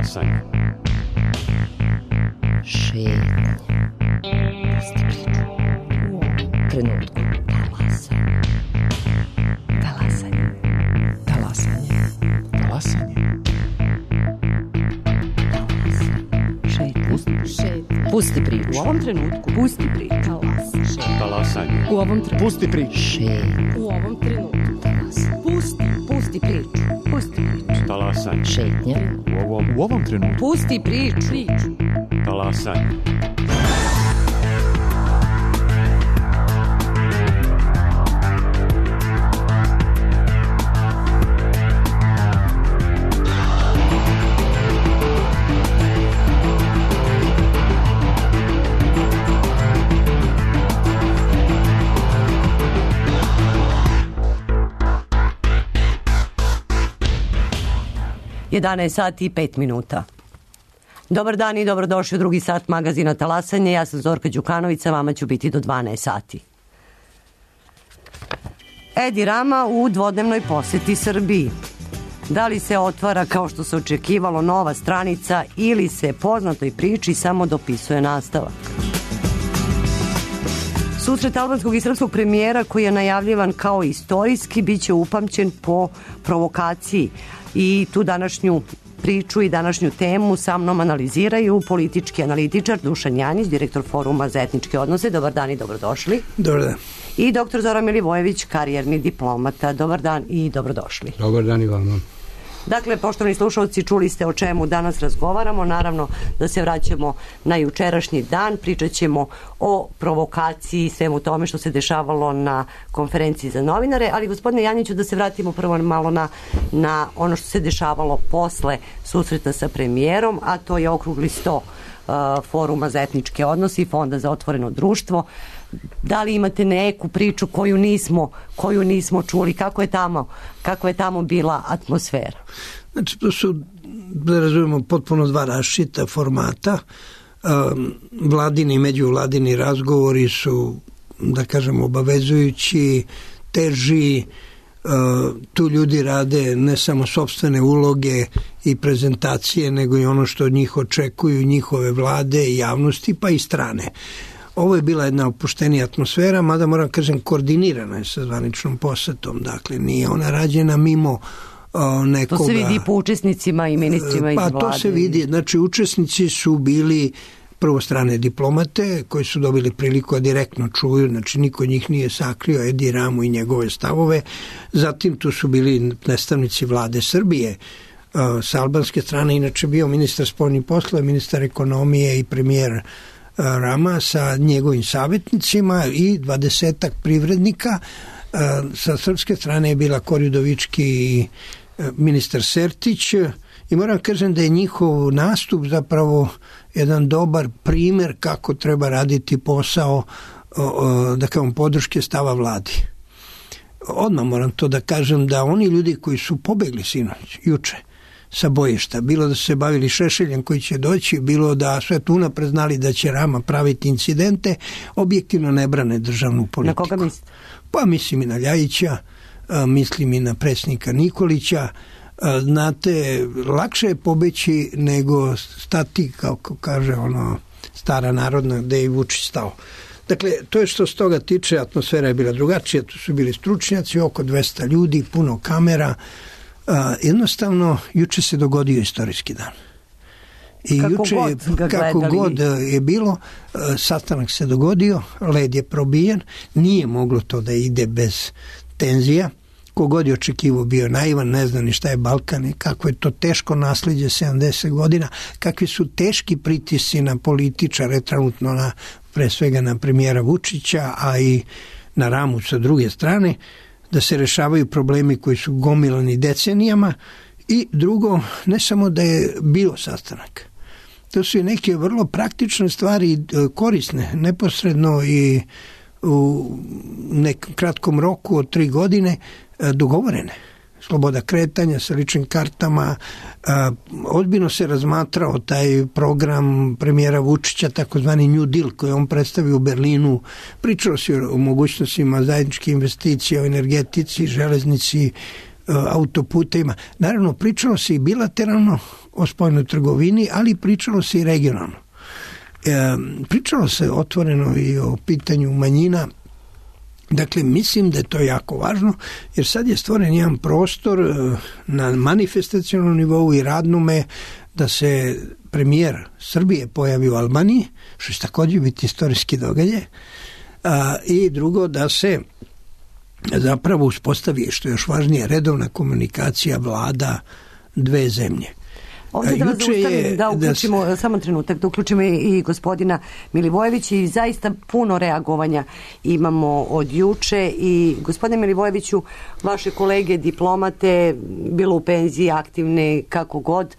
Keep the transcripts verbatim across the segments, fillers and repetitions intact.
Talasanje. Šetnje. Pusti priču. U ovom trenutku. Talasanje. Talasanje. Talasanje. Talasanje. Šetnje. Pusti priču. U ovom trenutku. Pusti priču. Talasanje. Talasanje. U ovom trenutku. Pusti priču. Šetnje. U ovom trenutku. Talasanje. Pusti. Pusti priču. Pusti priču. Talasanje. Šetnje. U ovom, u ovom trenutku. Pusti priču. Priču. Talasanje. jedanaest sati i pet minuta. Dobar dan i dobrodošli u drugi sat magazina Talasanje. Ja sam Zorka Đukanović, sa vama ću biti do dvanaest sati. Edi Rama u dvodnevnoj poseti Srbiji. Da li se otvara kao što se očekivalo nova stranica ili se poznatoj priči samo dopisuje nastavak? Susret albanskog i srpskog premijera koji je najavljivan kao istorijski bit će upamćen po provokaciji i tu današnju priču i današnju temu sa mnom analiziraju politički analitičar Dušan Janjić, direktor Foruma za etničke odnose. Dobar dan i dobrodošli. Dobar dan. I doktor Zoran Milivojević, karijerni diplomata. Dobar dan i dobrodošli. Dobar dan i vama. Dakle, poštovani slušalci, čuli ste o čemu danas razgovaramo. Naravno da se vraćamo na jučerašnji dan. Pričat ćemo o provokaciji i svemu tome što se dešavalo na konferenciji za novinare. Ali, gospodine Janjiću, da se vratimo prvo malo na, na ono što se dešavalo posle susreta sa premijerom, a to je okrugli sto uh, Foruma za etničke odnose i Fonda za otvoreno društvo. Da li imate neku priču koju nismo, koju nismo čuli? Kako je tamo, kako je tamo bila atmosfera? Znači, to su, da razumemo, potpuno dva različita formata. Um, vladini i međuvladini razgovori su, da kažem, obavezujući, teži. Uh, tu ljudi rade ne samo sopstvene uloge i prezentacije, nego i ono što od njih očekuju njihove vlade i javnosti, pa i strane. Ovo je bila jedna opuštenija atmosfera, mada moram kažem koordinirana je sa zvaničnom posetom, dakle nije ona rađena mimo o, nekoga. To se vidi po učesnicima i ministrima iz vlade. Pa to se vidi, znači učesnici su bili prvo strane diplomate koji su dobili priliku da direktno čuju, znači niko od njih nije sakrio Edi Ramu i njegove stavove, zatim tu su bili predstavnici vlade Srbije, o, sa albanske strane inače bio ministar spoljnih poslova, ministar ekonomije i premijer Rama sa njegovim savjetnicima i dvadesetak privrednika. Sa srpske strane je bila Kori Udovički i ministar Sertić i moram kažem da je njihov nastup zapravo jedan dobar primjer kako treba raditi posao, da kažem, podrške stava vladi. Odmah moram to da kažem da oni ljudi koji su pobegli sinoć, juče, sa bojišta, bilo da su se bavili Šešeljem koji će doći, bilo da sve tu unapred znali da će Rama praviti incidente, objektivno ne brane državnu politiku. Na koga mislite? Pa mislim i na Ljajića, mislim i na predsjednika Nikolića. Znate, lakše je pobeći nego stati, kako kaže ono stara narodna, gde je i Vučić stao. Dakle, to je što s toga tiče, atmosfera je bila drugačija, tu su bili stručnjaci, oko dvesta ljudi, puno kamera. Uh, jednostavno, juče se dogodio istorijski dan. I kako juče, god kako god je bilo, uh, sastanak se dogodio, led je probijen, nije moglo to da ide bez tenzija. Kogod je očekivao bio naivan, ne zna ni šta je Balkan i kako je to teško nasljeđe sedamdeset godina, kakvi su teški pritisci na političare, trenutno na, pre svega na premijera Vučića, a i na Ramu sa druge strane, da se rešavaju problemi koji su gomilani decenijama i drugo, ne samo da je bio sastanak. To su i neke vrlo praktične stvari korisne, neposredno i u nekom kratkom roku od tri godine dogovorene. Sloboda kretanja sa ličnim kartama, ozbiljno se razmatrao taj program premijera Vučića, takozvani New Deal koji on predstavio u Berlinu, pričalo se o mogućnostima zajedničke investicije, o energetici, železnici, autoputevima. Naravno, pričalo se i bilateralno o spoljnoj trgovini, ali pričalo se i regionalno. E, pričalo se otvoreno i o pitanju manjina. Dakle, mislim da je to jako važno, jer sad je stvoren jedan prostor na manifestacionalnom nivou i radnome da se premijer Srbije pojavi u Albaniji, što će također biti istorijski događaj, a, i drugo da se zapravo uspostavi, što je još važnije, redovna komunikacija vlada dve zemlje. Ovdje da vas zaustavim, da uključimo, da... samo trenutak, da uključimo i gospodina Milivojevića i zaista puno reagovanja imamo od juče i gospodine Milivojeviću, vaše kolege diplomate, bilo u penziji, aktivne, kako god,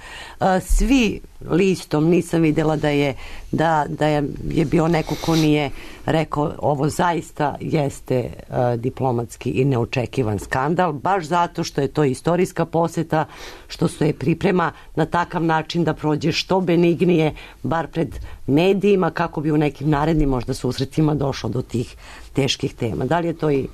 svi listom, nisam vidjela da je, da, da je, je bio neko ko nije rekao ovo zaista jeste uh, diplomatski i neočekivan skandal, baš zato što je to istorijska poseta, što se je priprema na takav način da prođe što benignije, bar pred medijima, kako bi u nekim narednim možda susretima došlo do tih teških tema. Da li je to i,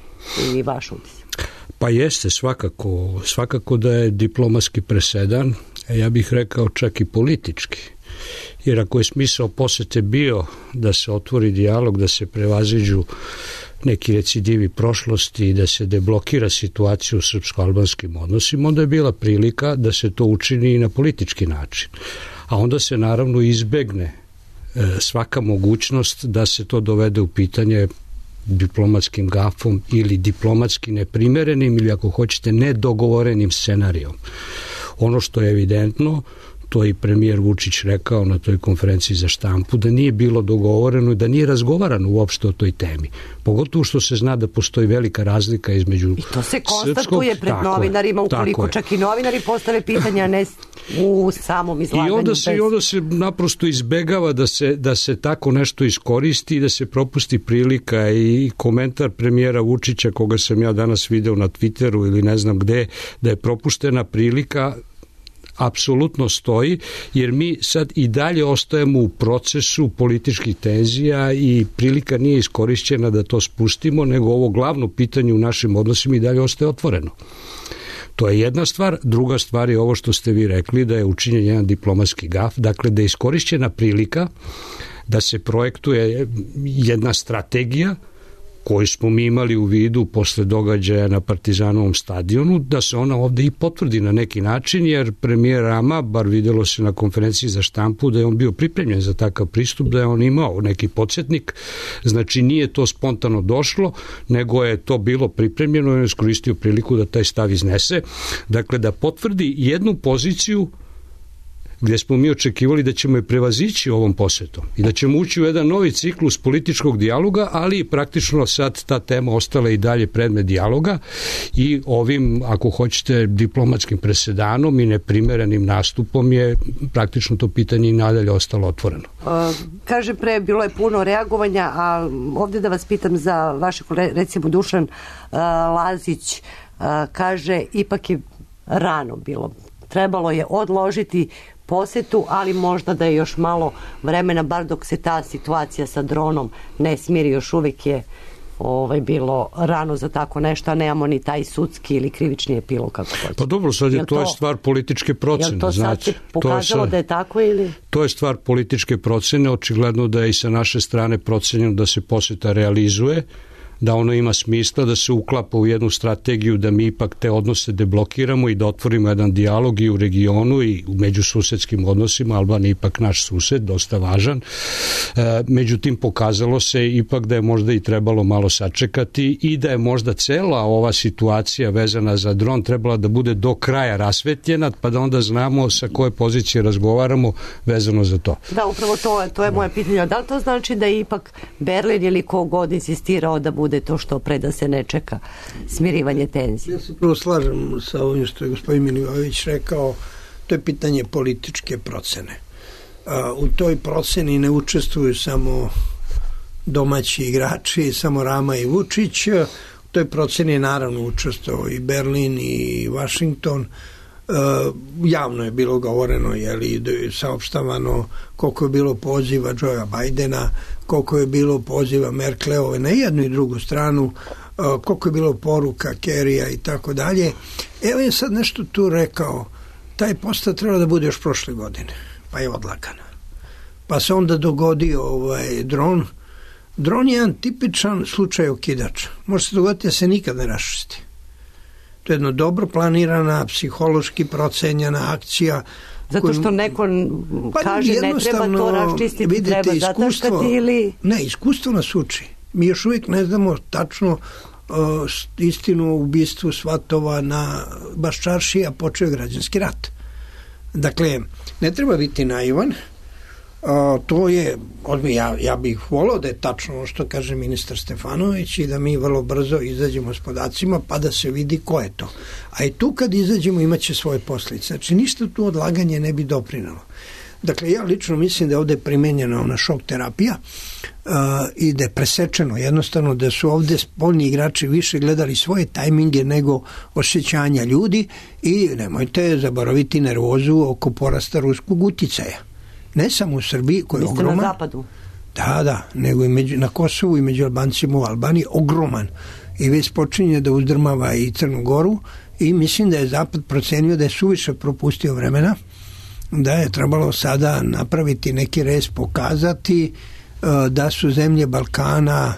i vaš utisak? Pa jeste, svakako, svakako da je diplomatski presedan, ja bih rekao čak i politički. Jer ako je smisao posete bio da se otvori dijalog, da se prevaziđu neki recidivi prošlosti i da se deblokira situacija u srpsko-albanskim odnosima, onda je bila prilika da se to učini i na politički način. A onda se naravno izbegne svaka mogućnost da se to dovede u pitanje diplomatskim gafom ili diplomatski neprimerenim ili ako hoćete nedogovorenim scenarijom. Ono što je evidentno, to je i premijer Vučić rekao na toj konferenciji za štampu, da nije bilo dogovoreno i da nije razgovarano uopšte o toj temi. Pogotovo što se zna da postoji velika razlika između i to se konstatuje srpskog, pred novinarima, ukoliko čak i novinari postave pitanja, ne u samom izlaganju. I onda se, bez... i onda se naprosto izbegava da se, da se tako nešto iskoristi i da se propusti prilika i komentar premijera Vučića, koga sam ja danas video na Twitteru ili ne znam gde, da je propuštena prilika, apsolutno stoji, jer mi sad i dalje ostajemo u procesu političkih tenzija i prilika nije iskorišćena da to spustimo, nego ovo glavno pitanje u našim odnosima i dalje ostaje otvoreno. To je jedna stvar. Druga stvar je ovo što ste vi rekli, da je učinjen jedan diplomatski gaf, dakle da je iskorišćena prilika da se projektuje jedna strategija koju smo mi imali u vidu posle događaja na Partizanovom stadionu, da se ona ovde i potvrdi na neki način, jer premijer Rama, bar videlo se na konferenciji za štampu, da je on bio pripremljen za takav pristup, da je on imao neki podsjetnik, znači nije to spontano došlo, nego je to bilo pripremljeno i on je iskoristio priliku da taj stav iznese, dakle da potvrdi jednu poziciju gdje smo mi očekivali da ćemo je prevazići ovom posetom i da ćemo ući u jedan novi ciklus političkog dijaloga, ali praktično sad ta tema ostala i dalje predmet dijaloga i ovim, ako hoćete, diplomatskim presedanom i neprimerenim nastupom je praktično to pitanje i nadalje ostalo otvoreno. Uh, kaže pre, bilo je puno reagovanja, a ovdje da vas pitam za vaše kolege, recimo Dušan uh, Lazić uh, kaže, ipak je rano bilo. Trebalo je odložiti posetu, ali možda da je još malo vremena, bar dok se ta situacija sa dronom ne smiri, još uvijek je ovaj, bilo rano za tako nešto, a nemamo ni taj sudski ili krivični epilog, kako hoće. Pa dobro, sad je to, to je stvar političke procene. Jel to sad znači, se pokazalo to je sad, da je tako ili? To je stvar političke procene, očigledno da je i sa naše strane procenjeno da se poseta realizuje, da ono ima smisla, da se uklapa u jednu strategiju da mi ipak te odnose deblokiramo i da otvorimo jedan dijalog i u regionu i u međususedskim odnosima. Albanija je ipak naš sused, dosta važan. E, međutim, pokazalo se ipak da je možda i trebalo malo sačekati i da je možda cela ova situacija vezana za dron trebala da bude do kraja rasvetljena, pa da onda znamo sa koje pozicije razgovaramo vezano za to. Da, upravo to, to je moje pitanje. Da li to znači da je ipak Berlin ili ko god insistirao da bude to što pre da se ne čeka smirivanje tenzije? Ja se prvo slažem sa ovim što je gospodin Milivojević rekao, to je pitanje političke procene. U toj proceni ne učestvuju samo domaći igrači, samo Rama i Vučić, u toj proceni je naravno učestvovao i Berlin i Washington. Javno je bilo govoreno, jeli, saopštavano koliko je bilo poziva Joea Bidena, koliko je bilo poziva Merkelove na jednu i drugu stranu, koliko je bilo poruka Kerija i tako dalje. Evo je sad nešto tu rekao, taj postav treba da bude još prošle godine, pa je odlagana. Pa se onda dogodio ovaj dron. Dron je jedan tipičan slučaj okidača. Može se dogoditi da se nikad ne raščisti. To je jedna dobro planirana, psihološki procenjena akcija. Zato što neko pa kaže ne treba to raščistiti, vidite, treba zataškati ili... Ne, iskustvo nas uči. Mi još uvijek ne znamo tačno uh, istinu o ubistvu svatova na Baščaršiji, a počeo je građanski rat. Dakle, ne treba biti naivan. Uh, to je, ja, ja bih volao da je tačno ono što kaže ministar Stefanović i da mi vrlo brzo izađemo s podacima pa da se vidi ko je to. A i tu kad izađemo imaće svoje posljedice. Znači ništa tu odlaganje ne bi doprinalo. Dakle, ja lično mislim da je ovde primenjena ona šok terapija uh, i da je presečeno jednostavno da su ovde spoljni igrači više gledali svoje tajminge nego osjećanja ljudi i nemojte zaboraviti nervozu oko porasta ruskog uticaja. Ne samo u Srbiji, koji je ogroman. Na zapadu? Da, da, nego i među, na Kosovu i među Albancima u Albaniji ogroman. I već počinje da uzdrmava i Crnu Goru i mislim da je Zapad procenio da je suviše propustio vremena, da je trebalo sada napraviti neki rez, pokazati uh, da su zemlje Balkana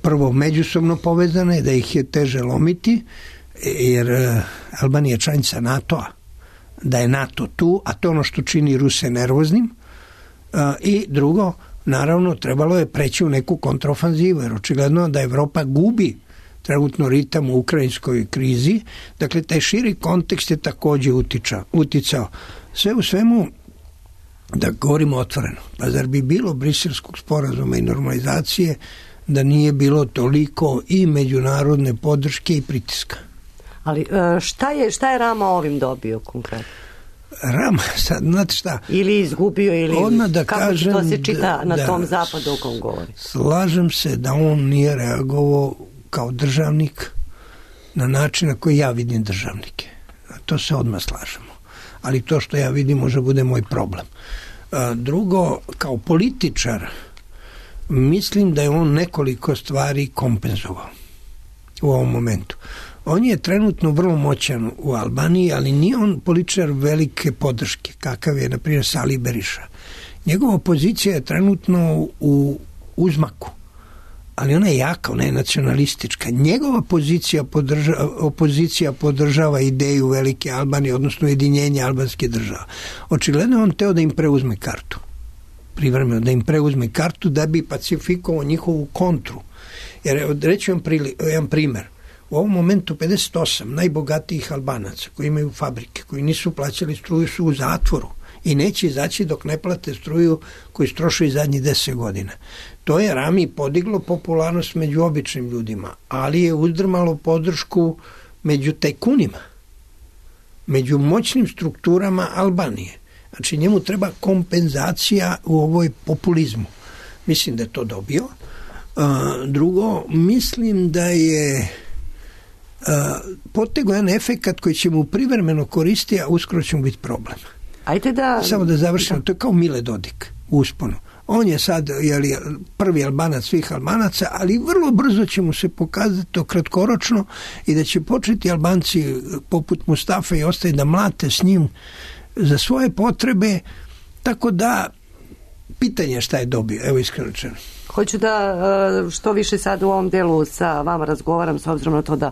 prvo međusobno povezane, da ih je teže lomiti, jer uh, Albanija je članica NATO-a, da je NATO tu, a to ono što čini Ruse nervoznim. Uh, I drugo, naravno, trebalo je preći u neku kontrofanzivu, jer očigledno da Evropa gubi trenutno ritam u ukrajinskoj krizi. Dakle, taj širi kontekst je takođe utiča, uticao. Sve u svemu, da govorimo otvoreno, pa zar bi bilo briselskog sporazuma i normalizacije da nije bilo toliko i međunarodne podrške i pritiska? Ali šta je, šta je Rama ovim dobio konkretno? Rama, sad, znate šta? Ili izgubio, ili da kako kažem, to se čita da, na da, tom zapadu o kom govori? Slažem se da on nije reagovao kao državnik na način na koji ja vidim državnike. To se odmah slažemo. Ali to što ja vidim može bude moj problem. Drugo, kao političar, mislim da je on nekoliko stvari kompenzovao u ovom momentu. On je trenutno vrlo moćan u Albaniji, ali nije on političar velike podrške, kakav je, na primjer, Sali Beriša. Njegova pozicija je trenutno u uzmaku, ali ona je jaka, ona je nacionalistička. Njegova pozicija podržava, opozicija podržava ideju velike Albanije, odnosno jedinjenja albanske države. Očigledno on teo da im preuzme kartu. Privremeno da im preuzme kartu da bi pacifikovao njihovu kontru. Jer reći vam jedan primer. U ovom momentu pedeset osam najbogatijih Albanaca koji imaju fabrike, koji nisu plaćali struju, su u zatvoru i neće izaći dok ne plate struju koju strošaju zadnjih deset godina. To je Rami podiglo popularnost među običnim ljudima, ali je uzdrmalo podršku među tajkunima, među moćnim strukturama Albanije. Znači njemu treba kompenzacija u ovoj populizmu. Mislim da je to dobio. Drugo, mislim da je potego jedan efekat koji će mu privremeno koristiti, a uskoro će mu biti problem. Ajde da... Samo da završimo, to je kao Mile Dodik u usponu. On je sad jeli, prvi Albanac svih Albanaca, ali vrlo brzo će mu se pokazati to kratkoročno i da će početi Albanci poput Mustafa i ostali da mlate s njim za svoje potrebe, tako da pitanje šta je dobio, evo iskreno rečeno. Hoću da što više sad u ovom delu sa vama razgovaram, s obzirom na to da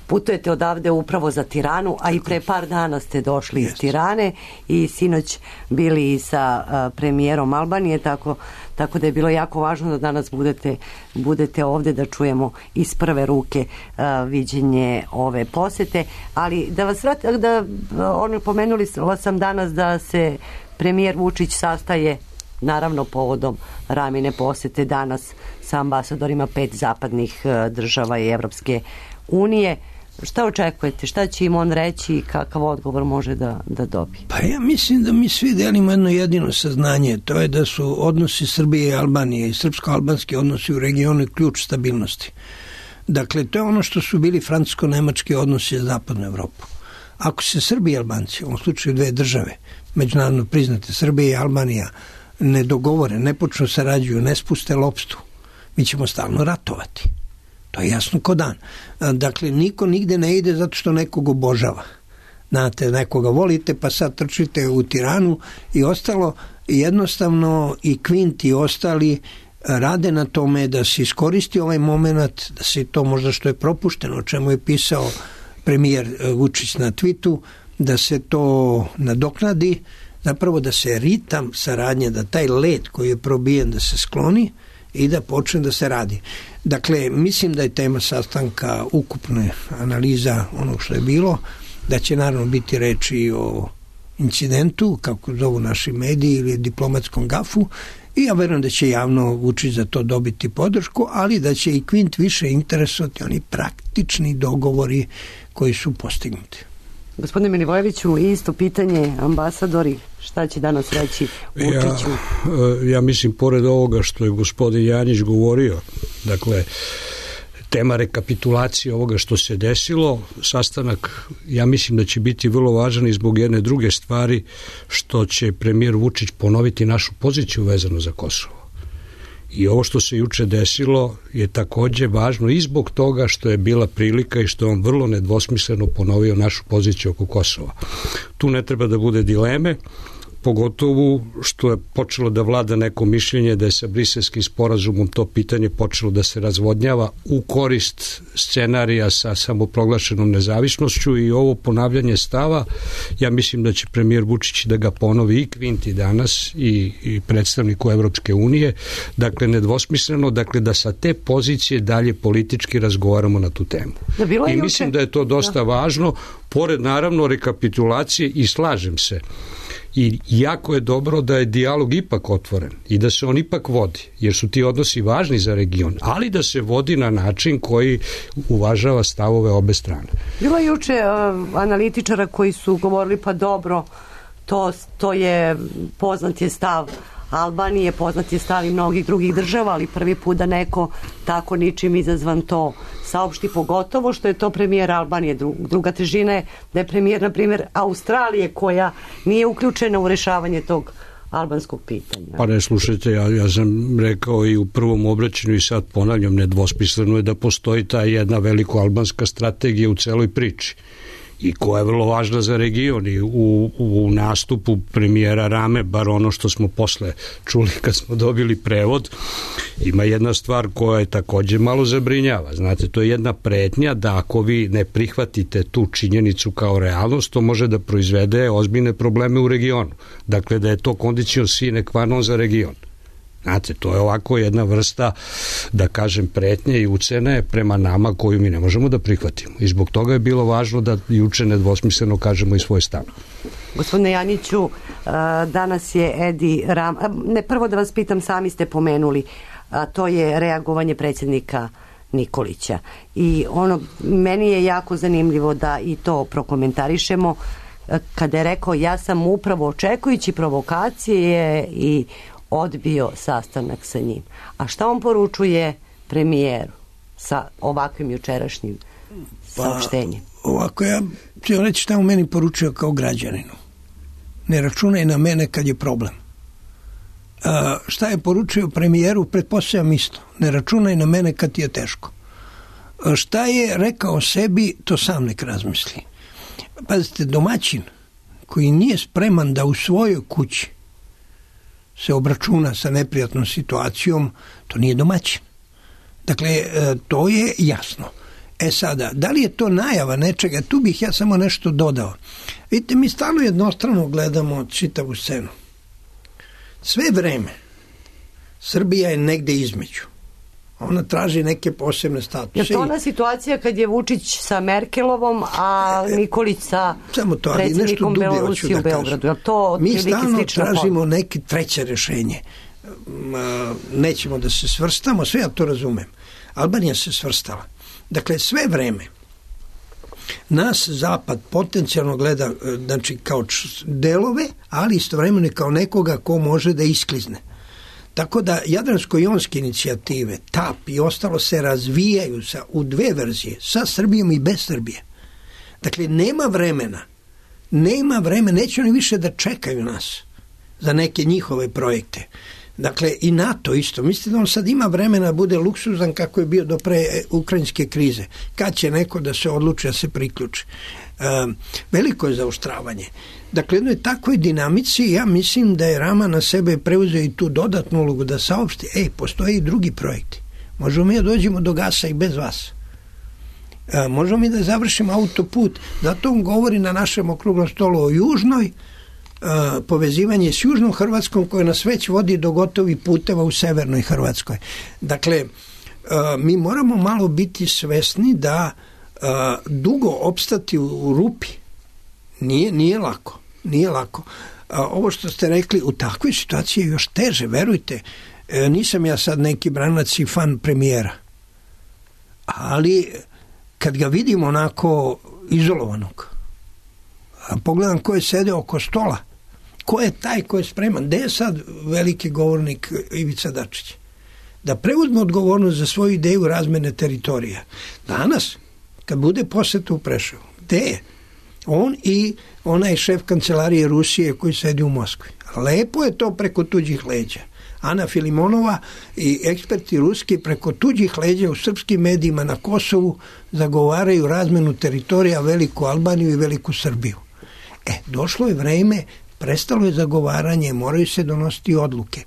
putujete odavde upravo za Tiranu, a i pre par dana ste došli iz Tirane i sinoć bili i sa uh, premijerom Albanije, tako, tako da je bilo jako važno da danas budete, budete ovde da čujemo iz prve ruke uh, viđenje ove posete. Ali da vas vratim, da ono, pomenuli sam danas da se premijer Vučić sastaje naravno povodom Ramine posete danas sa ambasadorima pet zapadnih uh, država i Evropske unije. Šta očekujete? Šta će im on reći i kakav odgovor može da, da dobije? Pa ja mislim da mi svi delimo jedno jedino saznanje. To je da su odnosi Srbije i Albanije i srpsko-albanski odnosi u regionu ključ stabilnosti. Dakle, to je ono što su bili francusko-nemački odnosi za zapadnu Evropu. Ako se Srbi i Albanci, u ovom slučaju dve države, međunarodno priznate, Srbija i Albanija, ne dogovore, ne počnu sarađuju, ne spuste lopstu, mi ćemo stalno ratovati. To je jasno ko dan. Dakle, niko nigde ne ide zato što nekog obožava. Znate, nekoga volite, pa sad trčite u Tiranu i ostalo. Jednostavno i Kvint i ostali rade na tome da se iskoristi ovaj moment, da se to možda što je propušteno, o čemu je pisao premijer Vučić na Twitu, da se to nadoknadi, zapravo da se ritam saradnje, da taj led koji je probijen da se skloni i da počne da se radi. Dakle, mislim da je tema sastanka ukupne analiza onog što je bilo, da će naravno biti reči o incidentu, kako zovu naši mediji, ili diplomatskom gafu, i ja verujem da će javno Vučić za to dobiti podršku, ali da će i Kvint više interesovati oni praktični dogovori koji su postignuti. Gospodine Milivojeviću, isto pitanje, ambasadori, šta će danas reći Vučiću? Ja, ja mislim, pored ovoga što je gospodin Janjić govorio, dakle, tema rekapitulacije ovoga što se desilo, sastanak, ja mislim da će biti vrlo važan i zbog jedne druge stvari, što će premijer Vučić ponoviti našu poziciju vezano za Kosovo. I ovo što se juče desilo je takođe važno i zbog toga što je bila prilika i što je on vrlo nedvosmisleno ponovio našu poziciju oko Kosova. Tu ne treba da bude dileme, pogotovo što je počelo da vlada neko mišljenje da je sa briselskim sporazumom to pitanje počelo da se razvodnjava u korist scenarija sa samoproglašenom nezavisnošću, i ovo ponavljanje stava, ja mislim da će premijer Vučić da ga ponovi i Kvinti danas i, i predstavniku Evropske unije, dakle nedvosmisleno, dakle da sa te pozicije dalje politički razgovaramo na tu temu. I mislim da je to dosta važno, pored naravno rekapitulacije, i slažem se. I jako je dobro da je dijalog ipak otvoren i da se on ipak vodi, jer su ti odnosi važni za region, ali da se vodi na način koji uvažava stavove obe strane. Bilo je juče uh, analitičara koji su govorili, pa dobro, to, to je poznat je stav Albanije, poznat je stav i mnogih drugih država, ali prvi put da neko tako ničim izazvan to saopšti, pogotovo što je to premijer Albanije. Druga težina je da je premijer, na primjer, Australije, koja nije uključena u rešavanje tog albanskog pitanja. Pa ne, slušajte, ja, ja sam rekao i u prvom obraćanju i sad ponavljam, nedvosmisleno je da postoji ta jedna veliko albanska strategija u celoj priči, i koja je vrlo važna za region, i u, u nastupu premijera Rame, bar ono što smo posle čuli kad smo dobili prevod, ima jedna stvar koja je takođe malo zabrinjava. Znate, to je jedna pretnja da ako vi ne prihvatite tu činjenicu kao realnost, to može da proizvede ozbiljne probleme u regionu. Dakle, da je to condicio sine qua non za region. Znate, to je ovako jedna vrsta, da kažem, pretnje i ucene prema nama koju mi ne možemo da prihvatimo. I zbog toga je bilo važno da juče nedvosmisleno kažemo i svoj stav. Gospodine Janjiću, danas je Edi Ram... Ne, prvo da vas pitam, sami ste pomenuli, a to je reagovanje predsjednika Nikolića. I ono, meni je jako zanimljivo da i to prokomentarišemo, kada je rekao, ja sam upravo očekujući provokacije i odbio sastanak sa njim. A šta on poručuje premijeru sa ovakvim jučerašnjim saopštenjem? Pa, ovako, ja ću reći šta u meni poručio kao građaninu. Ne računaj na mene kad je problem. A, šta je poručio premijeru? Pretpostavljam isto. Ne računaj na mene kad ti je teško. A, šta je rekao sebi, to sam nek razmisli. Pazite, domaćin koji nije spreman da u svojoj kući se obračuna sa neprijatnom situacijom, to nije domaćin. Dakle, to je jasno. E sada, da li je to najava nečega? Tu bih ja samo nešto dodao. Vidite, mi stalno jednostrano gledamo čitavu scenu. Sve vreme Srbija je negde između. Ona traži neke posebne statuse. Je to ona situacija kad je Vučić sa Merkelovom, a Nikolić sa to, predsjednikom Belorusije u Beogradu? Je to mi stalno tražimo neke treće rešenje. Nećemo da se svrstamo, sve ja to razumem. Albanija se svrstala. Dakle, sve vreme nas Zapad potencijalno gleda, znači, kao delove, ali istovremeno kao nekoga ko može da isklizne. Tako da Jadransko-jonske inicijative, T A P i ostalo se razvijaju sa, u dve verzije, sa Srbijom i bez Srbije. Dakle, nema vremena, nema vremena, neće oni više da čekaju nas za neke njihove projekte. Dakle, i NATO isto. Mislite da on sad ima vremena da bude luksuzan kako je bio do pre ukrajinske krize. Kad će neko da se odluči da se priključi? E, veliko je zaoštravanje. Dakle, jednoj takvoj dinamici ja mislim da je Rama na sebe preuzeo i tu dodatnu ulogu da saopšti, ej, postoje i drugi projekti. Možemo mi da dođemo do gasa i bez vas. E, možemo mi da završimo autoput. Zato on govori na našem okruglom stolu o južnoj, Uh, povezivanje s južnom Hrvatskom koje nas već vodi do gotovih puteva u severnoj Hrvatskoj. Dakle, uh, mi moramo malo biti svesni da uh, dugo opstati u, u rupi nije, nije lako. Nije lako. Uh, ovo što ste rekli, u takvoj situaciji je još teže, verujte. Uh, nisam ja sad neki branac i fan premijera. Ali kad ga vidim onako izolovanog, a pogledam ko je sede oko stola, ko je taj ko je spreman, gde je sad veliki govornik Ivica Dačić? Da preuzme odgovornost za svoju ideju razmene teritorija. Danas, kad bude poseta u Preševu, gde je? On i onaj šef kancelarije Rusije koji sedi u Moskvi. Lepo je to preko tuđih leđa. Ana Filimonova i eksperti ruski preko tuđih leđa u srpskim medijima na Kosovu zagovaraju razmenu teritorija, Veliku Albaniju i Veliku Srbiju. E, došlo je vreme, prestalo je zagovaranje, moraju se donositi odluke.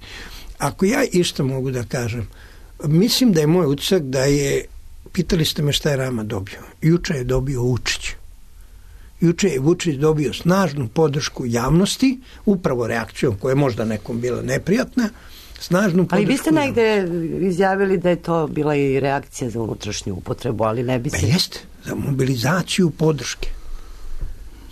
Ako ja isto mogu da kažem, mislim da je moj utisak da je, pitali ste me šta je Rama dobio. Juče je dobio Vučić. Juče je Vučić dobio snažnu podršku javnosti, upravo reakcijom koja je možda nekom bila neprijatna, snažnu podršku. Ali vi ste negde izjavili da je to bila i reakcija za unutrašnju upotrebu, ali ne bi se... Be jeste, za mobilizaciju podrške.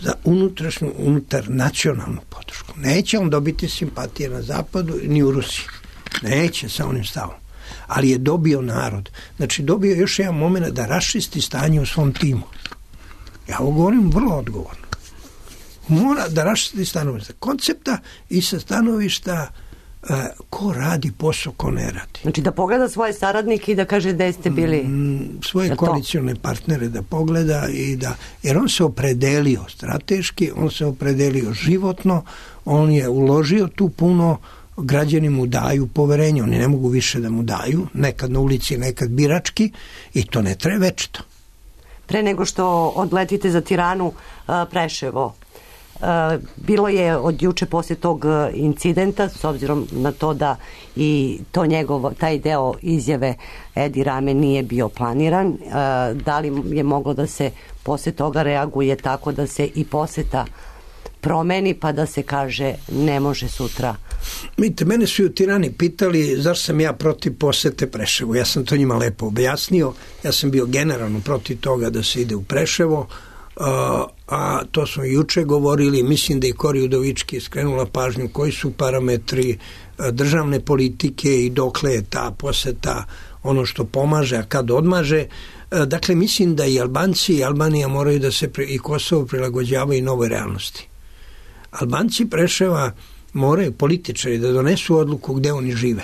Za unutrašnju, unutar nacionalnu podršku. Neće on dobiti simpatije na zapadu ni u Rusiji. Neće sa onim stavom. Ali je dobio narod. Znači dobio još jedan moment da raščisti stanje u svom timu. Ja ovo govorim vrlo odgovorno. Mora da raščisti stanovišta koncepta i sa stanovišta uh, ko radi posao, ko ne radi. Znači da pogleda svoje saradnike i da kaže gde ste bili. Mm, svoje koalicione partnere da pogleda i da, jer on se opredelio strateški, on se opredelio životno, on je uložio tu puno, građani mu daju poverenje, oni ne mogu više da mu daju, nekad na ulici, nekad birački i to ne traje večito. Pre nego što odletite za Tiranu, Preševo, bilo je od juče poslije tog incidenta, s obzirom na to da i to njegovo, taj deo izjave Edi Rame nije bio planiran, da li je moglo da se poslije toga reaguje tako da se i poseta promeni pa da se kaže ne može sutra? Vidite, mene su u Tirani pitali zašto sam ja protiv posete Preševu. Ja sam to njima lepo objasnio. Ja sam bio generalno protiv toga da se ide u Preševo, a, a to smo juče govorili. Mislim da i Kori Udovički skrenula pažnju koji su parametri državne politike i dokle je ta poseta ono što pomaže, a kad odmaže. Dakle, mislim da i Albanci i Albanija moraju da se i Kosovo prilagođavaju novoj realnosti. Albanci Preševa moraju političari da donesu odluku gde oni žive.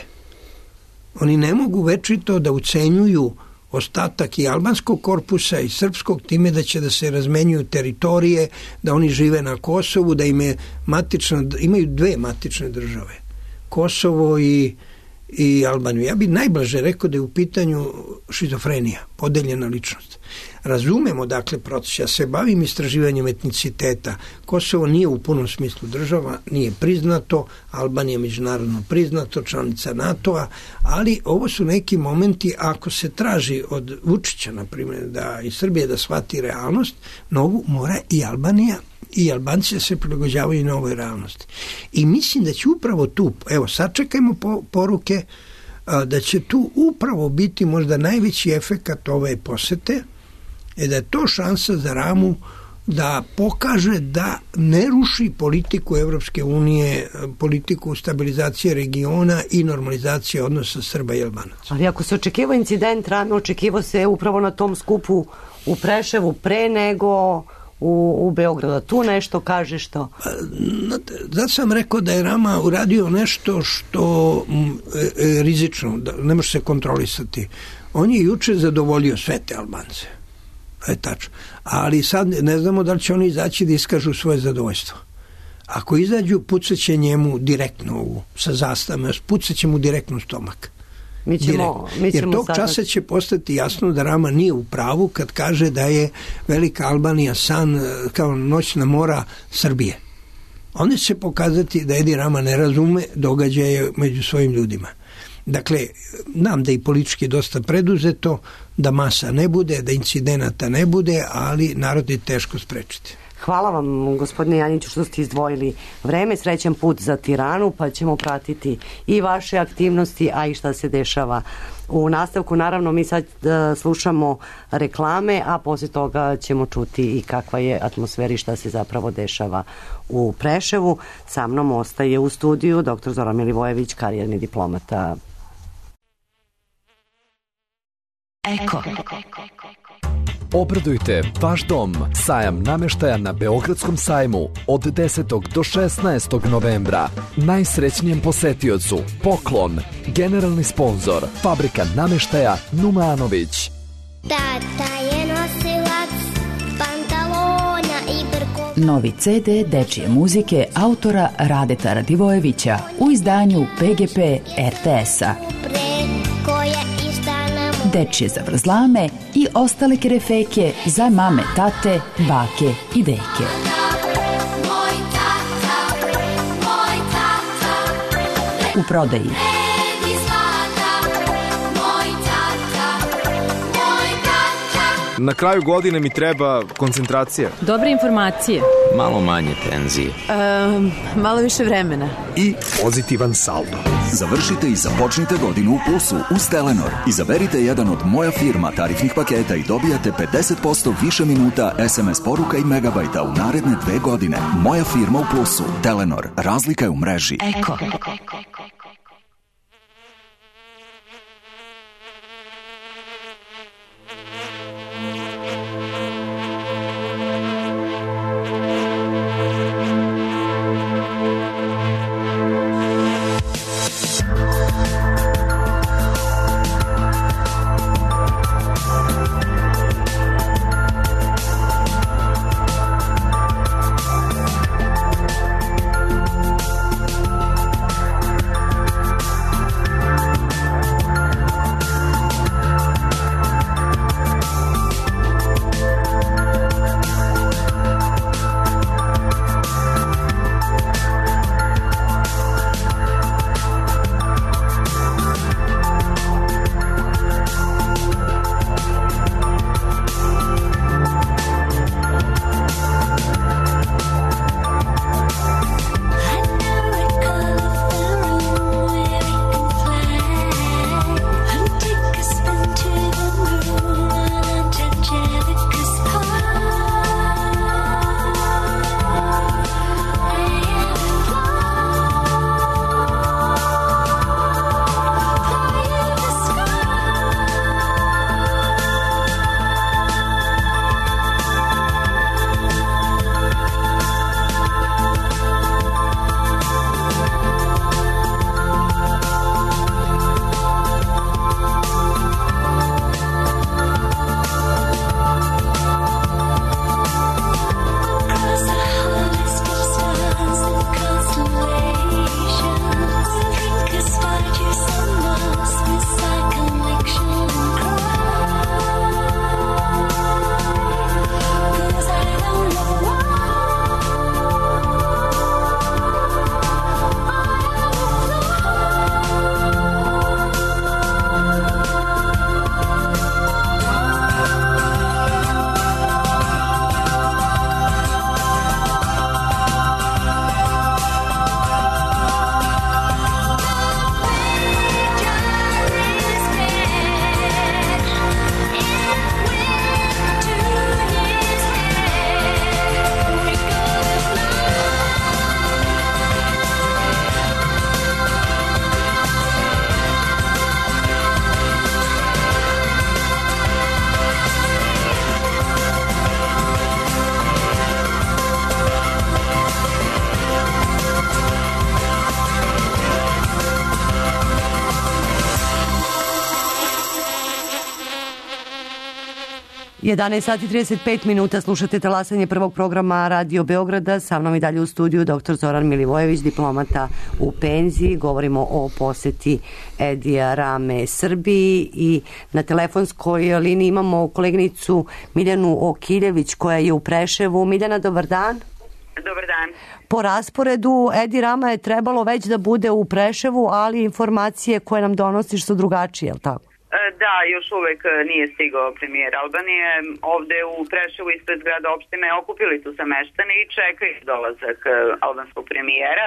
Oni ne mogu večito da ucenjuju ostatak i albanskog korpusa i srpskog time da će da se razmenjuju teritorije, da oni žive na Kosovu, da im je matična, imaju dve matične države. Kosovo i, i Albaniju. Ja bih najblaže rekao da je u pitanju šizofrenija, podeljena ličnost. Razumemo dakle proces, ja se bavim istraživanjem etniciteta. Kosovo nije u punom smislu država, nije priznato, Albanija je međunarodno priznato, članica NATO-a, ali ovo su neki momenti, ako se traži od Vučića, na primjer, da i Srbija da shvati realnost, mnogo mora i Albanija i Albanci da se prilagođavaju na ovoj realnosti. I mislim da će upravo tu, evo sačekajmo po, poruke, a, da će tu upravo biti možda najveći efekat ove posete, je da je to šansa za Ramu da pokaže da ne ruši politiku Evropske unije, politiku stabilizacije regiona i normalizacije odnosa Srba i Albanaca. Ali ako se očekivao incident, Rame očekivao se upravo na tom skupu u Preševu pre nego u, u Beogradu. Tu nešto kaže što? Zato sam rekao da je Rama uradio nešto što je rizično, da ne može se kontrolisati. On je juče zadovoljio sve te Albance. Je tačno. Ali sad ne znamo da li će oni izaći da iskažu svoje zadovoljstvo. Ako izađu, pucaće njemu direktno u, sa zastavama, pucaće mu direktno u stomak. Mi ćemo, mi ćemo Jer tog sad... časa će postati jasno da Rama nije u pravu kad kaže da je Velika Albanija san kao noćna mora Srbije. Onda će se pokazati da Edi Rama ne razume događaje među svojim ljudima. Dakle, nam da i politički dosta preduzeto, da masa ne bude, da incidenata ne bude, ali narod je teško sprečiti. Hvala vam, gospodine Janjiću, što ste izdvojili vreme. Srećan put za Tiranu, pa ćemo pratiti i vaše aktivnosti, a i šta se dešava u nastavku. Naravno, mi sad uh, slušamo reklame, a poslije toga ćemo čuti i kakva je atmosfera i šta se zapravo dešava u Preševu. Sa mnom ostaje u studiju doktor Zoran Milivojević, karijerni diplomata. Eko. Obradujte vaš dom. Sajam nameštaja na Beogradskom sajmu od desetog do šesnaestog novembra. Najsrećnijem posetiocu poklon. Generalni sponzor Fabrika nameštaja Numanović. Tata je nosilac pantalona i brko. Novi ce de dečije muzike autora Radeta Radivojevića u izdanju pe ge pe er te es-a. Dečije zavrzlame i ostale kerefeke za mame, tate, bake i deke. U prodaji Na kraju godine mi treba koncentracija. Dobre informacije. Malo manje tenzije. Um, malo više vremena. I pozitivan saldo. Završite i započnite godinu u plusu uz Telenor. Izaberite jedan od Moja firma tarifnih paketa i dobijate pedeset posto više minuta es em es poruka i megabajta u naredne dve godine. Moja firma u plusu. Telenor. Razlika je u mreži. Eko. jedanaest sati i trideset pet minuta, slušate talasanje prvog programa Radio Beograda. Sa mnom i dalje u studiju doktor Zoran Milivojević, diplomata u penziji. Govorimo o poseti Edija Rame Srbiji i na telefonskoj liniji imamo koleginicu Miljanu Okiljević koja je u Preševu. Miljana, dobar dan. Dobar dan. Po rasporedu Edi Rama je trebalo već da bude u Preševu, ali informacije koje nam donosiš su drugačije, je li tako? Da, još uvek nije stigao premijer Albanije. Ovde u Preševu ispred grada opštine okupili su se meštani i čekaju dolazak albanskog premijera.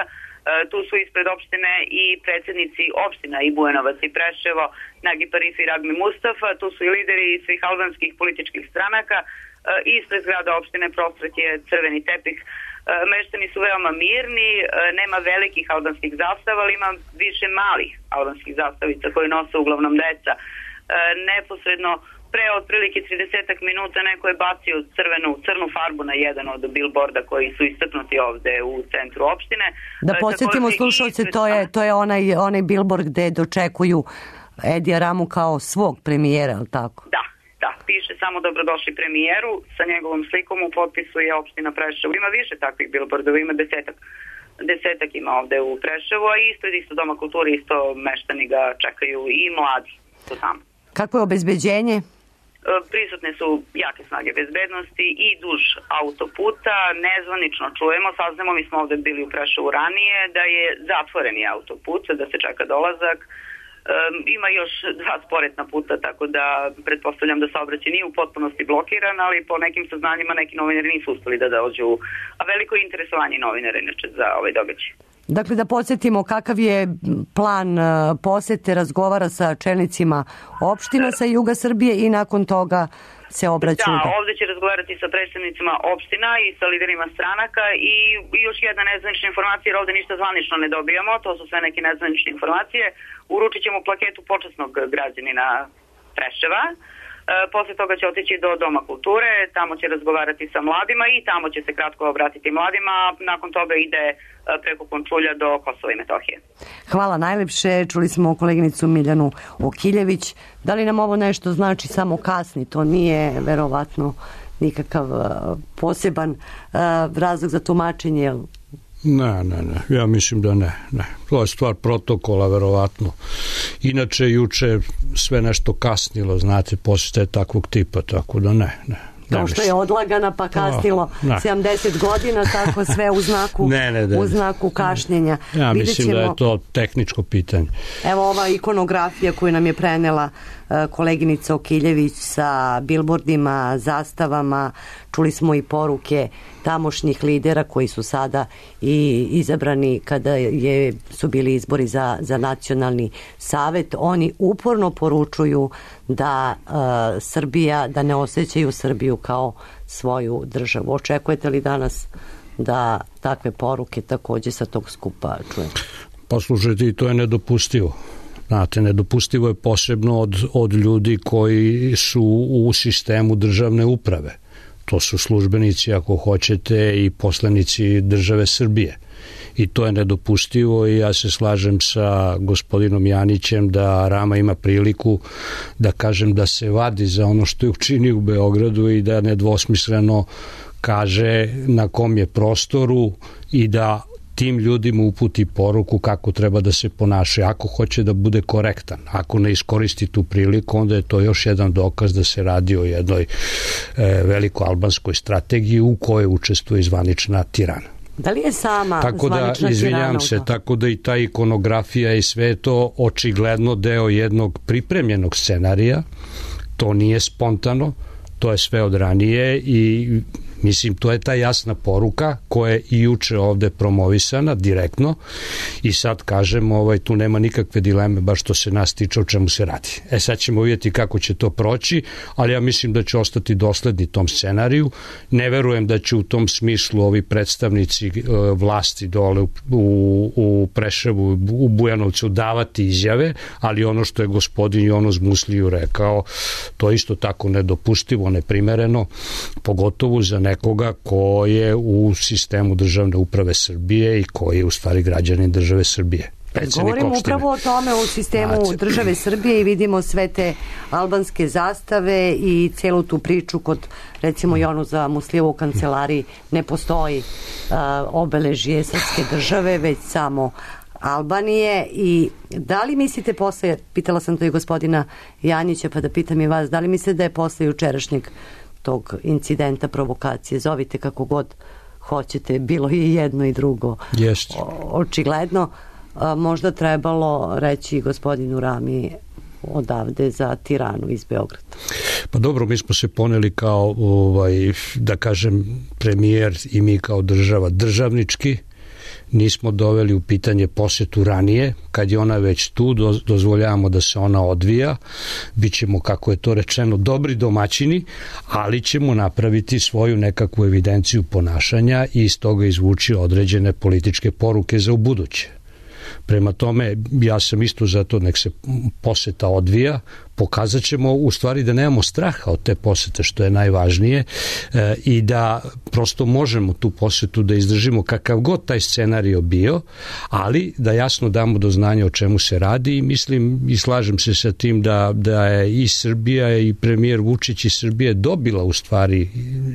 Tu su ispred opštine i predsjednici opština i Bujanovac i Preševo, Nagi Parif i Ragmi Mustafa. Tu su i lideri svih albanskih političkih stranaka. Ispred grada opštine prostret je crveni tepih. Meštani su veoma mirni, nema velikih albanskih zastava, ali ima više malih albanskih zastavica koje nose uglavnom deca. Neposredno pre otprilike trideset minuta neko je bacio crvenu, crnu farbu na jedan od billboarda koji su istaknuti ovde u centru opštine. Da podsjetimo slušalce, to je, to je onaj, onaj billboard gde dočekuju Edija Ramu kao svog premijera, ali tako? Da. Da, piše samo dobrodošli premijeru, sa njegovom slikom u potpisu je opština Preševo. Ima više takvih billboardova, ima desetak. Desetak ima ovde u Preševu, a ispred isto Doma kulture, isto meštani ga čekaju i mladi su tamo. Kako je obezbeđenje? Prisutne su jake snage bezbednosti i duž autoputa. Nezvanično čujemo, saznamo, mi smo ovde bili u Preševu ranije, da je zatvoreni autoput, da se čeka dolazak. Um, ima još dva sporedna puta, tako da pretpostavljam da saobraćaj nije u potpunosti blokiran, ali po nekim saznanjima neki novinari nisu uspeli da dođu, a veliko je interesovanje novinara inače za ovaj događaj. Dakle, da podsjetimo kakav je plan posete, razgovara sa čelnicima opština sa juga Srbije i nakon toga se obraćaju. Da, ovde će razgovarati sa predstavnicima opština i sa liderima stranaka i još jedna nezvanična informacija, jer ovde ništa zvanično ne dobijamo, to su sve neke nezvanične informacije. Uručit ćemo plaketu počasnog građanina Preševa. E, posle toga će otići do Doma kulture, tamo će razgovarati sa mladima i tamo će se kratko obratiti mladima, a nakon toga ide preko Končulja do Kosova i Metohije. Hvala najlepše, čuli smo koleginicu Miljanu Okiljević. Da li nam ovo nešto znači samo kasni? To nije verovatno nikakav poseban razlog za tumačenje. Ne, ne, ne, ja mislim da ne, ne. To je stvar protokola, verovatno. Inače, juče sve nešto kasnilo, znate, posle takvog tipa, tako da ne, ne. Kao što je odlagana pa kasnilo oh, sedamdeset godina, tako sve u znaku, ne, ne, ne. U znaku kašnjenja. Ja mislim ćemo, da je to tehničko pitanje. Evo ova ikonografija koju nam je prenela koleginica Okiljević sa bilbordima, zastavama, čuli smo i poruke tamošnjih lidera koji su sada i izabrani kada je, su bili izbori za, za nacionalni savet. Oni uporno poručuju da uh, Srbija, da ne osjećaju Srbiju kao svoju državu. Očekujete li danas da takve poruke takođe sa tog skupa čujemo? Poslušajte, i to je nedopustivo. Znate, nedopustivo je posebno od, od ljudi koji su u sistemu državne uprave. To su službenici, ako hoćete, i poslanici države Srbije. I to je nedopustivo i ja se slažem sa gospodinom Janićem da Rama ima priliku da kažem da se vadi za ono što je učinio u Beogradu i da nedvosmisleno kaže na kom je prostoru i da tim ljudima uputi poruku kako treba da se ponaša. Ako hoće da bude korektan, ako ne iskoristi tu priliku, onda je to još jedan dokaz da se radi o jednoj e, veliko albanskoj strategiji u kojoj učestvuje zvanična Tirana. Da li je sama tako zvanična da, izvinjam se, Tirana? Tako da i ta ikonografija i sve to očigledno deo jednog pripremljenog scenarija, to nije spontano, to je sve od ranije i mislim, to je ta jasna poruka koja je i juče ovde promovisana direktno i sad kažem, ovaj, tu nema nikakve dileme baš što se nas tiče o čemu se radi. E sad ćemo vidjeti kako će to proći, ali ja mislim da će ostati dosledni tom scenariju. Ne verujem da će u tom smislu ovi predstavnici e, vlasti dole u, u, u Preševu, u Bujanovcu davati izjave, ali ono što je gospodin Jonos Musliju rekao, to je isto tako nedopustivo, neprimereno, pogotovo za nekoga ko je u sistemu državne uprave Srbije i koji je u stvari građanin države Srbije. predsjednik Govorimo opštine. upravo o tome u sistemu Znači, države Srbije i vidimo sve te albanske zastave i celu tu priču kod, recimo i onu za Muslijevu u kancelariji ne postoji uh, obeležje srpske države, već samo Albanije. I da li mislite posle, pitala sam to i gospodina Janjića, pa da pitam i vas, da li mislite da je posle jučerašnjeg tog incidenta, provokacije, zovite kako god hoćete, bilo i jedno i drugo, Jest. očigledno, a, možda trebalo reći gospodinu Rami odavde za Tiranu iz Beograda? Pa dobro, mi smo se poneli kao, ovaj, da kažem, premijer i mi kao država državnički, nismo doveli u pitanje posetu ranije, kad je ona već tu, dozvoljavamo da se ona odvija, bit ćemo, kako je to rečeno, dobri domaćini, ali ćemo napraviti svoju nekakvu evidenciju ponašanja i iz toga izvući određene političke poruke za ubuduće. Prema tome, ja sam isto za to, nek se poseta odvija, pokazat ćemo u stvari da nemamo straha od te posete, što je najvažnije, e, i da prosto možemo tu posetu da izdržimo kakav god taj scenario bio, ali da jasno damo do znanja o čemu se radi i mislim i slažem se sa tim da, da je i Srbija i premijer Vučić i Srbije dobila u stvari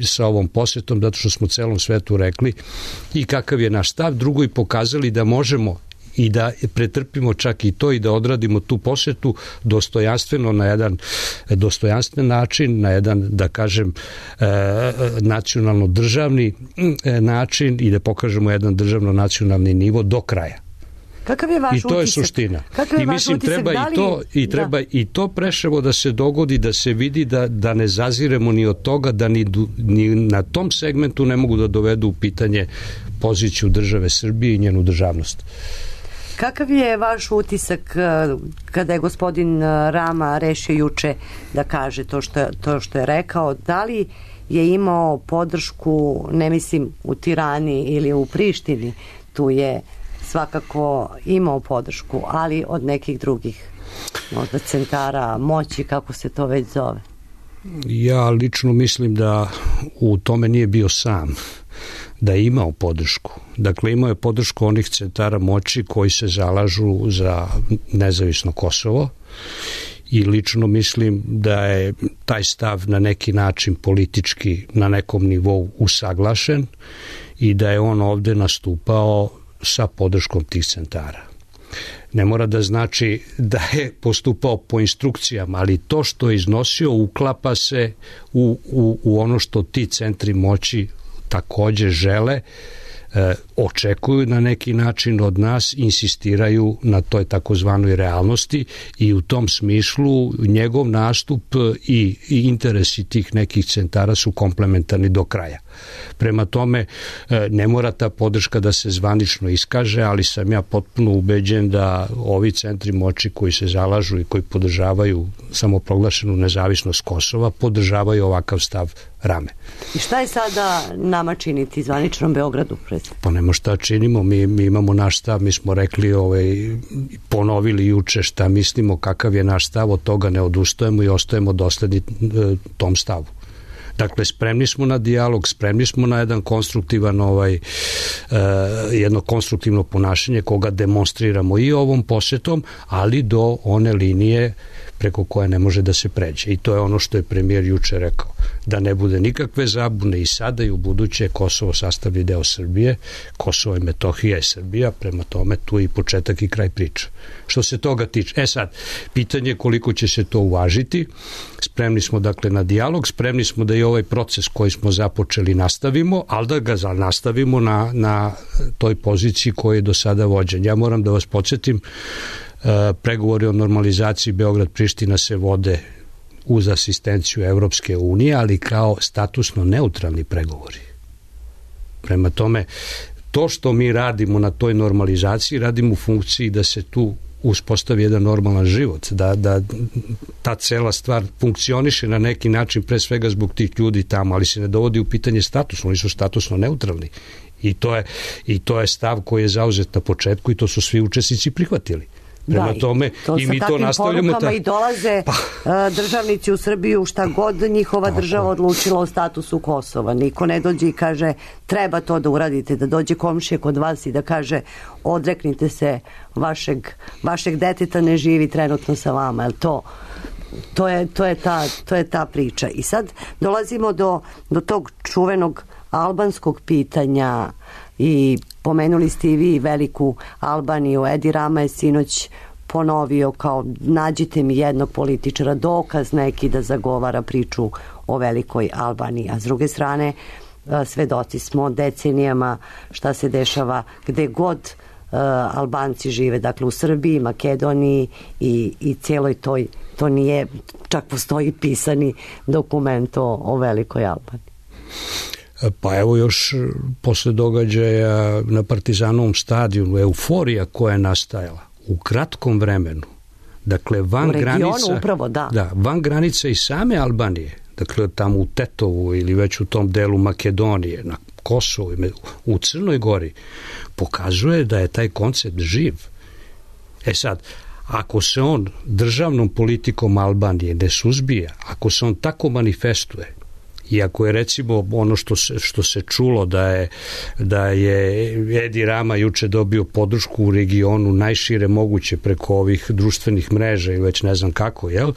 sa ovom posetom, zato što smo celom svetu rekli i kakav je naš stav, drugo i pokazali da možemo i da pretrpimo čak i to i da odradimo tu posetu dostojanstveno, na jedan dostojanstven način, na jedan, da kažem, nacionalno državni način i da pokažemo jedan državno nacionalni nivo do kraja. Kakav je vaš I to je utisak? suština. Kakav je I vaš mislim utisak? treba Da li... i to i treba da. i to preševo da se dogodi, da se vidi da da ne zaziremo ni od toga da ni, ni na tom segmentu ne mogu da dovedu u pitanje poziciju države Srbije i njenu državnost. Kakav je vaš utisak kada je gospodin Rama rešio juče da kaže to što, to što je rekao? Da li je imao podršku, ne mislim u Tirani ili u Prištini, tu je svakako imao podršku, ali od nekih drugih možda centara moći, kako se to već zove? Ja lično mislim da u tome nije bio sam, da je imao podršku. Dakle, imao je podršku onih centara moći koji se zalažu za nezavisno Kosovo i lično mislim da je taj stav na neki način politički na nekom nivou usaglašen i da je on ovde nastupao sa podrškom tih centara. Ne mora da znači da je postupao po instrukcijama, ali to što je iznosio uklapa se u, u, u ono što ti centri moći takođe žele, e, očekuju na neki način od nas, insistiraju na toj takozvanoj realnosti i u tom smislu njegov nastup i, i interesi tih nekih centara su komplementarni do kraja. Prema tome, e, ne mora ta podrška da se zvanično iskaže, ali sam ja potpuno ubeđen da ovi centri moći koji se zalažu i koji podržavaju samoproglašenu nezavisnost Kosova, podržavaju ovakav stav Rame. I šta je sada nama činiti zvaničnom Beogradu? Pa nema šta činimo, mi, mi imamo naš stav, mi smo rekli, ovaj, ponovili juče šta mislimo, kakav je naš stav, od toga ne odustajemo i ostajemo dosledni e, tom stavu. Dakle, spremni smo na dijalog, spremni smo na jedan konstruktivan ovaj, e, jedno konstruktivno ponašanje koga demonstriramo i ovom posetom, ali do one linije preko koje ne može da se pređe. I to je ono što je premijer juče rekao. Da ne bude nikakve zabune i sada i u buduće Kosovo sastavlja deo Srbije, Kosovo i Metohija je Srbija, prema tome tu je i početak i kraj priče. Što se toga tiče, e sad, pitanje je koliko će se to uvažiti, spremni smo dakle na dijalog, spremni smo da i ovaj proces koji smo započeli nastavimo, ali da ga nastavimo na, na toj poziciji koji je do sada vođen. Ja moram da vas podsjetim, pregovori o normalizaciji Beograd-Priština se vode uz asistenciju Evropske unije, ali kao statusno neutralni pregovori. Prema tome, to što mi radimo na toj normalizaciji, radimo u funkciji da se tu uspostavi jedan normalan život, da, da ta cela stvar funkcioniše na neki način, pre svega zbog tih ljudi tamo, ali se ne dovodi u pitanje statusno, oni su statusno neutralni. I to je, i to je stav koji je zauzet na početku i to su svi učesnici prihvatili. Prema da, tome to i mi to nastavljamo. Ta... I dolaze pa. državnici u Srbiju šta god njihova Tako. država odlučila o statusu Kosova. Niko ne dođe i kaže treba to da uradite, da dođe komšija kod vas i da kaže odreknite se vašeg, vašeg deteta ne živi trenutno sa vama. Jel to... To je, to, je ta, to je ta priča. I sad dolazimo do, do tog čuvenog albanskog pitanja i pomenuli ste i vi veliku Albaniju. Edi Rama je sinoć ponovio kao nađite mi jednog političara, dokaz neki da zagovara priču o velikoj Albaniji. A s druge strane svedoci smo decenijama šta se dešava gde god uh, Albanci žive, dakle u Srbiji, Makedoniji i, i cijeloj toj, to nije, čak postoji pisani dokument o, o velikoj Albaniji. Pa evo još posle događaja na Partizanovom stadionu, euforija koja je nastajala u kratkom vremenu, dakle van granica, upravo, da. Da, van granica i same Albanije, dakle tamo u Tetovu ili već u tom delu Makedonije, na Kosovu, u Crnoj Gori, pokazuje da je taj koncept živ. E sad, ako se on državnom politikom Albanije ne suzbija, ako se on tako manifestuje, i ako je recimo ono što se, što se čulo da je, da je Edi Rama juče dobio podršku u regionu najšire moguće preko ovih društvenih mreža i već ne znam kako, jel?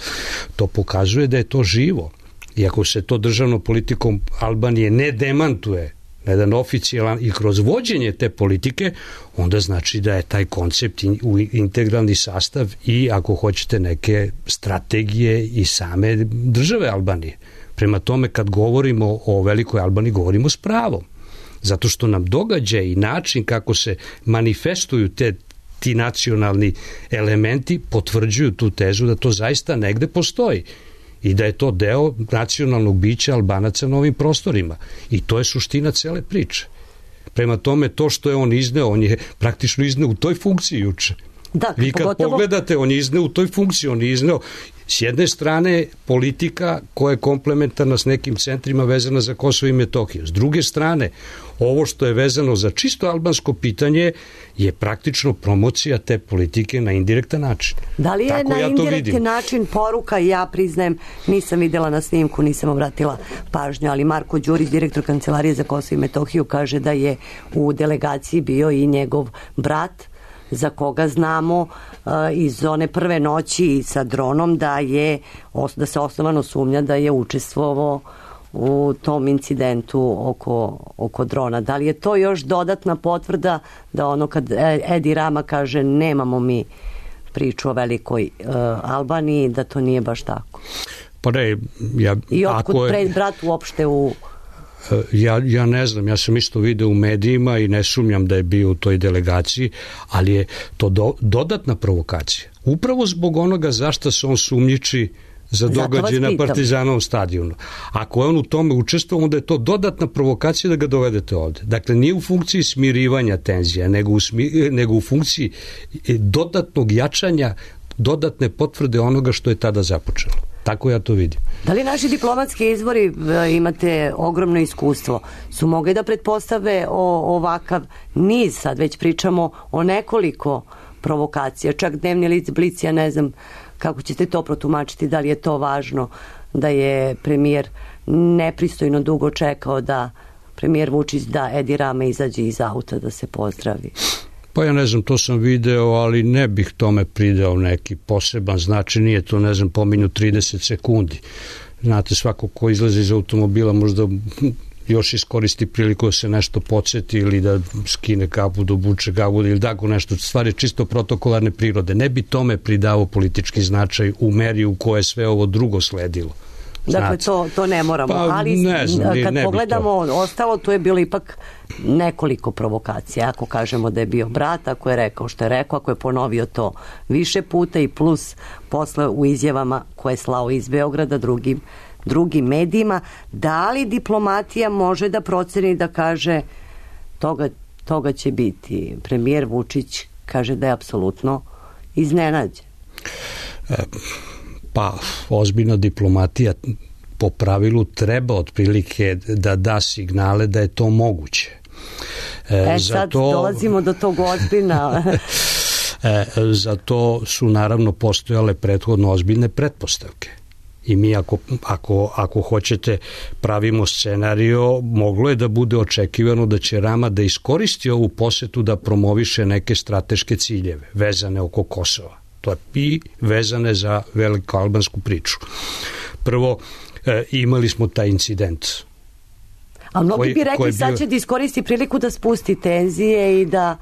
To pokazuje da je to živo. I ako se to državnom politikom Albanije ne demantuje na jedan oficijalan i kroz vođenje te politike, onda znači da je taj koncept u integralni sastav i ako hoćete neke strategije i same države Albanije. Prema tome, kad govorimo o velikoj Albaniji, govorimo s pravom. Zato što nam događaj i način kako se manifestuju te, ti nacionalni elementi potvrđuju tu tezu da to zaista negde postoji i da je to deo nacionalnog bića Albanaca na ovim prostorima. I to je suština cele priče. Prema tome, to što je on izneo, on je praktično izneo u toj funkciji juče. Da, vi kad pogotovo... pogledate, on je izneo u toj funkciji, on je izneo s jedne strane politika koja je komplementarna s nekim centrima vezana za Kosovo i Metohiju. S druge strane, ovo što je vezano za čisto albansko pitanje je praktično promocija te politike na indirektan način. Da li je Tako na ja indirektan način poruka, ja priznajem, nisam videla na snimku, nisam obratila pažnju, ali Marko Đurić, direktor Kancelarije za Kosovo i Metohiju, kaže da je u delegaciji bio i njegov brat, za koga znamo uh, iz one prve noći sa dronom da je da se osnovano sumnja da je učestvovao u tom incidentu oko, oko drona. Da li je to još dodatna potvrda da ono kad Edi Rama kaže nemamo mi priču o velikoj uh, Albaniji, da to nije baš tako? Pa ne, ja... I otkud je... pred brat uopšte u... Ja, ja ne znam, ja sam isto video u medijima i ne sumnjam da je bio u toj delegaciji, ali je to do, dodatna provokacija. Upravo zbog onoga zašto se on sumnjiči za događaj na Partizanovom stadionu. Ako je on u tome učestvovao, onda je to dodatna provokacija da ga dovedete ovde. Dakle, nije u funkciji smirivanja tenzija, nego u, smi, nego u funkciji dodatnog jačanja, dodatne potvrde onoga što je tada započelo. Tako ja to vidim. Da li naši diplomatski izvori, imate ogromno iskustvo, su mogli da pretpostave o ovakav niz, sad već pričamo o nekoliko provokacija, čak dnevni lic Blic, ja ne znam kako ćete to protumačiti, da li je to važno da je premijer nepristojno dugo čekao da premijer Vučić da Edi Rama izađe iz auta da se pozdravi. Pa ja ne znam, to sam video, ali ne bih tome pridao neki poseban značaj, nije to, ne znam, pominju trideset sekundi. Znate, svako ko izlazi iz automobila možda još iskoristi priliku da se nešto podsjeti ili da skine kapu, da obuče kapu ili tako nešto. Stvar je čisto protokolarne prirode. Ne bi tome pridao politički značaj u meri u koje sve ovo drugo sledilo. Dakle, to, to ne moramo, pa, ali ne znam, kad ne pogledamo ostalo, tu je bilo ipak nekoliko provokacija. Ako kažemo da je bio brat, ako je rekao što je rekao, ako je ponovio to više puta i plus posle u izjavama koje je slao iz Beograda drugim, drugim medijima, da li diplomatija može da proceni da kaže toga, toga će biti? Premijer Vučić kaže da je apsolutno iznenađen. E, Pa, ozbiljna diplomatija po pravilu treba otprilike da da signale da je to moguće. E, e sad to... dolazimo do tog ozbiljna. E, za to su naravno postojale prethodno ozbiljne pretpostavke. I mi ako, ako, ako hoćete pravimo scenario, moglo je da bude očekivano da će Rama da iskoristi ovu posetu da promoviše neke strateške ciljeve vezane oko Kosova. To je i vezane za veliku albansku priču. Prvo, e, imali smo taj incident. A mnogi koji, bi rekli bio... sad će da iskoristi priliku da spusti tenzije i da...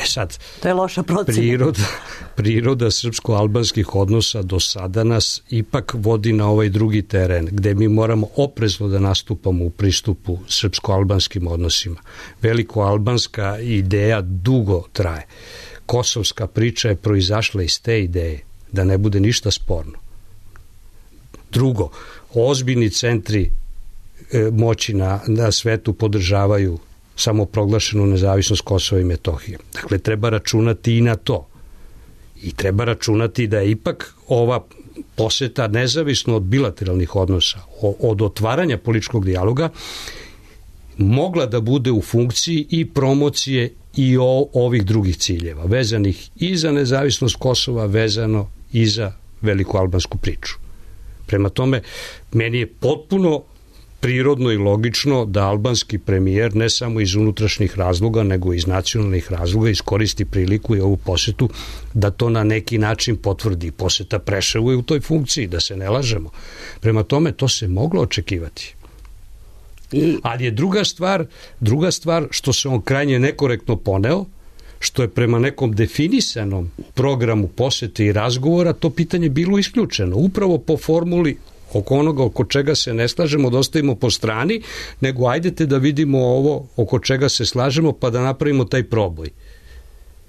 E sad, to je loša procena. Priroda, priroda srpsko-albanskih odnosa do sada nas ipak vodi na ovaj drugi teren, gde mi moramo oprezno da nastupamo u pristupu srpsko-albanskim odnosima. Veliko-albanska ideja dugo traje. Kosovska priča je proizašla iz te ideje, da ne bude ništa sporno. Drugo, ozbiljni centri e, moći na, na svetu podržavaju samoproglašenu nezavisnost Kosova i Metohije. Dakle, treba računati i na to. I treba računati da je ipak ova poseta nezavisno od bilateralnih odnosa, od otvaranja političkog dijaloga, mogla da bude u funkciji i promocije i o, ovih drugih ciljeva, vezanih i za nezavisnost Kosova, vezano i za veliku albansku priču. Prema tome, meni je potpuno prirodno i logično da albanski premijer ne samo iz unutrašnjih razloga, nego iz nacionalnih razloga iskoristi priliku i ovu posetu da to na neki način potvrdi. Poseta Preševu je u toj funkciji, da se ne lažemo. Prema tome, to se moglo očekivati. I... Ali je druga stvar, druga stvar što se on krajnje nekorektno poneo, što je prema nekom definisanom programu posete i razgovora to pitanje bilo isključeno. Upravo po formuli oko onoga oko čega se ne slažemo da ostavimo po strani, nego ajdete da vidimo ovo oko čega se slažemo pa da napravimo taj proboj.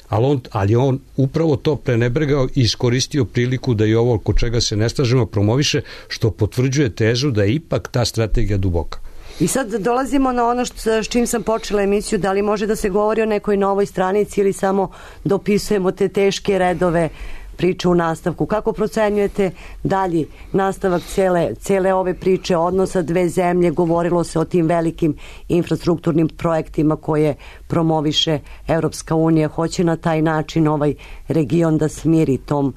Ali on, ali on upravo to prenebregao i iskoristio priliku da i ovo oko čega se ne slažemo promoviše, što potvrđuje tezu da je ipak ta strategija duboka. I sad dolazimo na ono što, s čim sam počela emisiju, da li može da se govori o nekoj novoj stranici ili samo dopisujemo te teške redove priče u nastavku. Kako procenjujete dalji nastavak cele, cele ove priče, odnosa dve zemlje? Govorilo se o tim velikim infrastrukturnim projektima koje promoviše Evropska unija. Hoće na taj način ovaj region da smiri tom,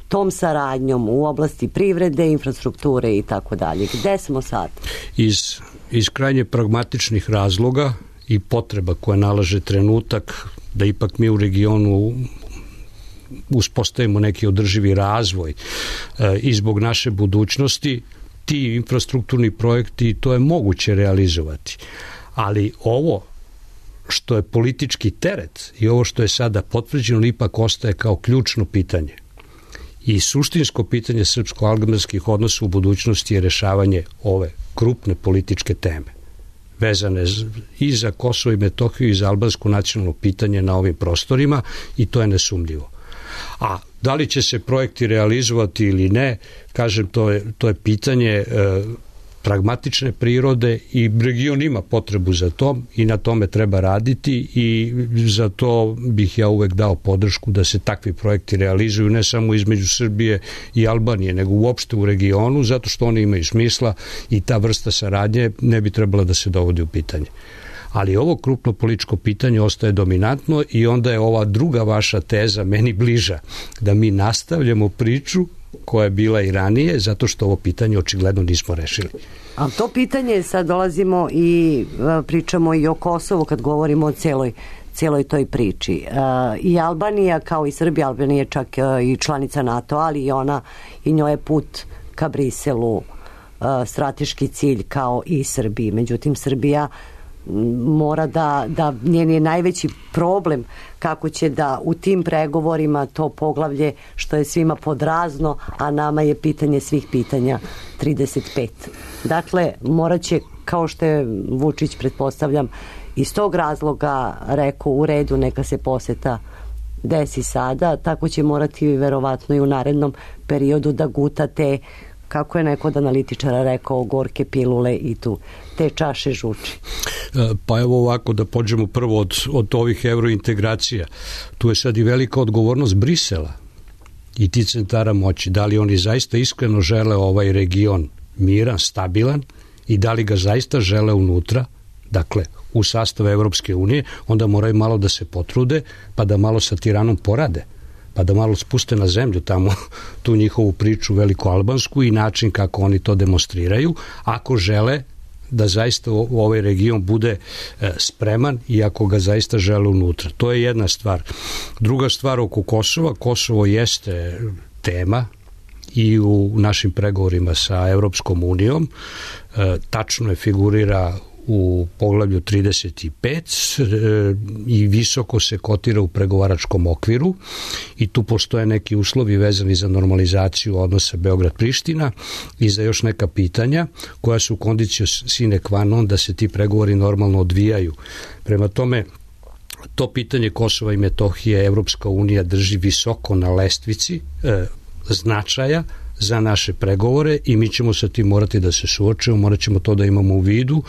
tom saradnjom u oblasti privrede, infrastrukture i tako dalje. Gde smo sad? Iz, iz krajnje pragmatičnih razloga i potreba koje nalaže trenutak da ipak mi u regionu uspostavimo neki održivi razvoj e, i zbog naše budućnosti, ti infrastrukturni projekti, to je moguće realizovati. Ali ovo što je politički teret i ovo što je sada potvrđeno ipak ostaje kao ključno pitanje. I suštinsko pitanje srpsko-albanskih odnosa u budućnosti je rešavanje ove krupne političke teme, vezane i za Kosovo i Metohiju i za albansko nacionalno pitanje na ovim prostorima, i to je nesumljivo. A da li će se projekti realizovati ili ne, kažem, to je, to je pitanje e, pragmatične prirode i region ima potrebu za to i na tome treba raditi i za to bih ja uvek dao podršku da se takvi projekti realizuju ne samo između Srbije i Albanije, nego uopšte u regionu, zato što oni imaju smisla i ta vrsta saradnje ne bi trebala da se dovodi u pitanje. Ali ovo krupno političko pitanje ostaje dominantno i onda je ova druga vaša teza meni bliža, da mi nastavljamo priču koja je bila i ranije, zato što ovo pitanje očigledno nismo rešili. A to pitanje, sad dolazimo i pričamo i o Kosovu kad govorimo o celoj, celoj toj priči. I Albanija, kao i Srbija, Albanija je čak i članica NATO, ali i ona, i njoj je put ka Briselu strateški cilj kao i Srbiji. Međutim, Srbija mora da, da njen je najveći problem kako će da u tim pregovorima to poglavlje što je svima podrazno, a nama je pitanje svih pitanja trideset pet. Dakle, morat će, kao što je Vučić, pretpostavljam, iz tog razloga rekao u redu, neka se poseta desi sada, tako će morati verovatno i u narednom periodu da guta te, kako je neko od analitičara rekao, gorke pilule i tu te čaše žuči. Pa evo ovako, da pođemo prvo od, od ovih evrointegracija. Tu je sad i velika odgovornost Brisela i ti centara moći. Da li oni zaista iskreno žele ovaj region miran, stabilan i da li ga zaista žele unutra, dakle u sastavu Evropske unije, onda moraju malo da se potrude pa da malo sa Tiranom porade. pa da malo spuste na zemlju tamo tu njihovu priču veliko-albansku i način kako oni to demonstriraju, ako žele da zaista ovaj region bude spreman i ako ga zaista žele unutra. To je jedna stvar. Druga stvar oko Kosova, Kosovo jeste tema i u našim pregovorima sa Evropskom unijom, tačno je figurira u poglavlju trideset pet i visoko se kotira u pregovaračkom okviru i tu postoje neki uslovi vezani za normalizaciju odnosa Beograd-Priština i za još neka pitanja koja su kondicio sine qua non da se ti pregovori normalno odvijaju. Prema tome, to pitanje Kosova i Metohije Evropska unija drži visoko na lestvici e, značaja za naše pregovore i mi ćemo sa tim morati da se suočimo, morat ćemo to da imamo u vidu,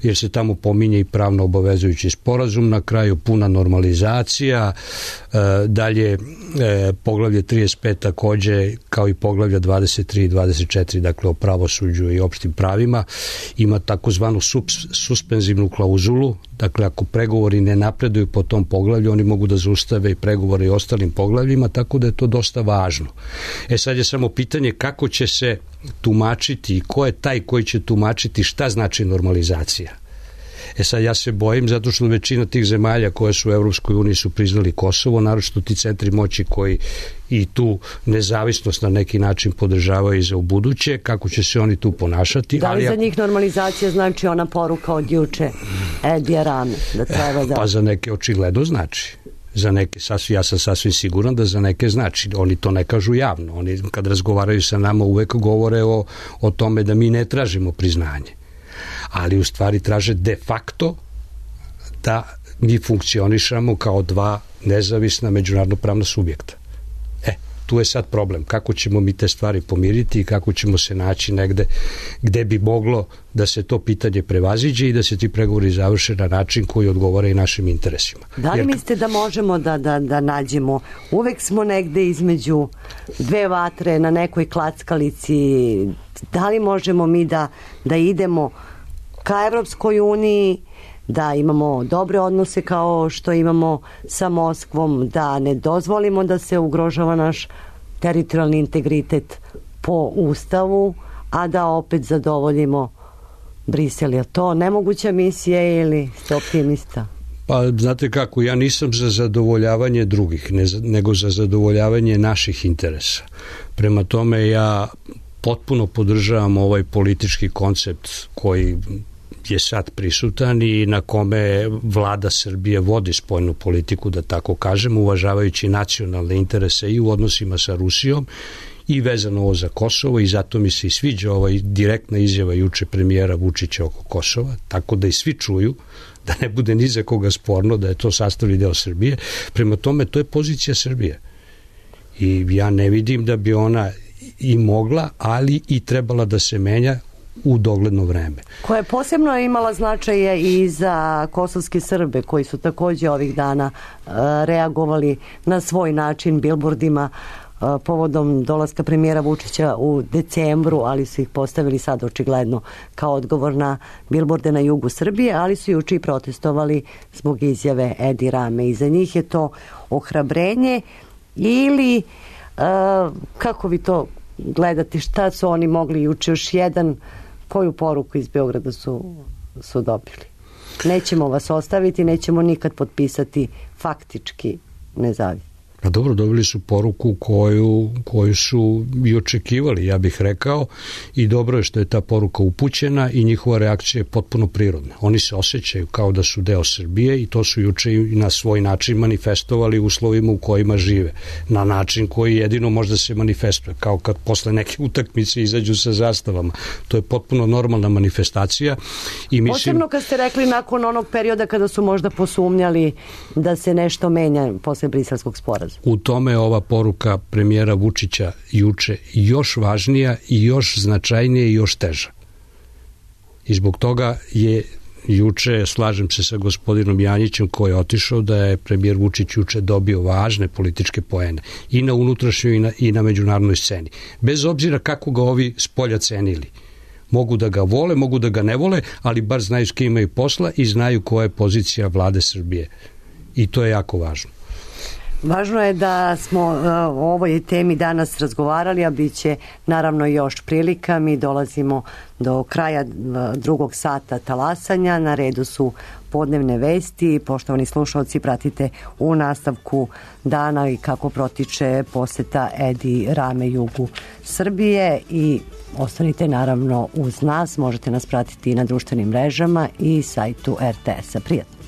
jer se tamo pominje i pravno obavezujući sporazum, na kraju puna normalizacija, e, dalje e, poglavlje trideset pet takođe, kao i poglavlja dvadeset tri i dvadeset četiri, dakle o pravosuđu i opštim pravima, ima takozvanu suspenzivnu klauzulu, dakle ako pregovori ne napreduju po tom poglavlju, oni mogu da zaustave i pregovore i ostalim poglavljima, tako da je to dosta važno. E sad je samo pitanje kako će se tumačiti i ko je taj koji će tumačiti šta znači normalizacija. E sad ja se bojim zato što većina tih zemalja koje su u Evropskoj uniji su priznali Kosovo, naročito ti centri moći koji i tu nezavisnost na neki način podržavaju i za ubuduće, kako će se oni tu ponašati. Da li ali za ako... njih normalizacija znači ona poruka od juče Edija Rame? Da treba da... Pa za neke očigledno znači. Za neke, sasvim, ja sam sasvim siguran da za neke znači. Oni to ne kažu javno. Oni kad razgovaraju sa nama uvek govore o, o tome da mi ne tražimo priznanje. Ali u stvari traže de facto da mi funkcionišamo kao dva nezavisna međunarodno pravna subjekta. E, tu je sad problem. Kako ćemo mi te stvari pomiriti i kako ćemo se naći negde gde bi moglo da se to pitanje prevaziđe i da se ti pregovori završe na način koji odgovara i našim interesima. Da li Jer... mislite da možemo da, da, da nađemo, uvek smo negde između dve vatre na nekoj klackalici, da li možemo mi da, da idemo ka Evropskoj uniji, da imamo dobre odnose kao što imamo sa Moskvom, da ne dozvolimo da se ugrožava naš teritorijalni integritet po Ustavu, a da opet zadovoljimo Brisel. Je to nemoguća misija ili ste optimista? Pa znate kako, ja nisam za zadovoljavanje drugih, ne, nego za zadovoljavanje naših interesa. Prema tome ja potpuno podržavam ovaj politički koncept koji je sad prisutan i na kome vlada Srbije vodi spoljnu politiku, da tako kažem, uvažavajući nacionalne interese i u odnosima sa Rusijom i vezano ovo za Kosovo, i zato mi se i sviđa ova direktna izjava juče premijera Vučića oko Kosova, tako da i svi čuju, da ne bude ni za koga sporno da je to sastavni deo Srbije. Prema tome, to je pozicija Srbije. I ja ne vidim da bi ona i mogla, ali i trebala da se menja u dogledno vreme. Koja je posebno imala značaje i za kosovske Srbe, koji su takođe ovih dana uh, reagovali na svoj način bilbordima uh, povodom dolaska premijera Vučića u decembru, ali su ih postavili sad očigledno kao odgovor na bilborde na jugu Srbije, ali su juče i protestovali zbog izjave Edi Rame. I za njih je to ohrabrenje ili uh, kako vi to gledate, šta su oni mogli juče, još jedan, koju poruku iz Beograda su, su dobili? Nećemo vas ostaviti, nećemo nikad potpisati faktički nezavisno. Pa dobro, dobili su poruku koju, koju su i očekivali, ja bih rekao, i dobro je što je ta poruka upućena i njihova reakcija je potpuno prirodna. Oni se osjećaju kao da su deo Srbije i to su juče i na svoj način manifestovali u uslovima u kojima žive. Na način koji jedino možda se manifestuje, kao kad posle neke utakmice izađu sa zastavama. To je potpuno normalna manifestacija. I mislim... Posebno kad ste rekli nakon onog perioda kada su možda posumnjali da se nešto menja posle briselskog sporazuma. U tome je ova poruka premijera Vučića juče još važnija i još značajnija i još teža. I zbog toga je juče, slažem se sa gospodinom Janjićem koji je otišao, da je premijer Vučić juče dobio važne političke poene i na unutrašnjoj i na, i na međunarodnoj sceni. Bez obzira kako ga ovi spolja cenili. Mogu da ga vole, mogu da ga ne vole, ali bar znaju s kim imaju posla i znaju koja je pozicija vlade Srbije. I to je jako važno. Važno je da smo o ovoj temi danas razgovarali, a bit će naravno još prilika. Mi dolazimo do kraja drugog sata talasanja. Na redu su podnevne vesti. Poštovani slušalci, pratite u nastavku dana i kako protiče poseta Edi Rame jugu Srbije i ostanite naravno uz nas. Možete nas pratiti i na društvenim mrežama i sajtu er te esa. Prijatno.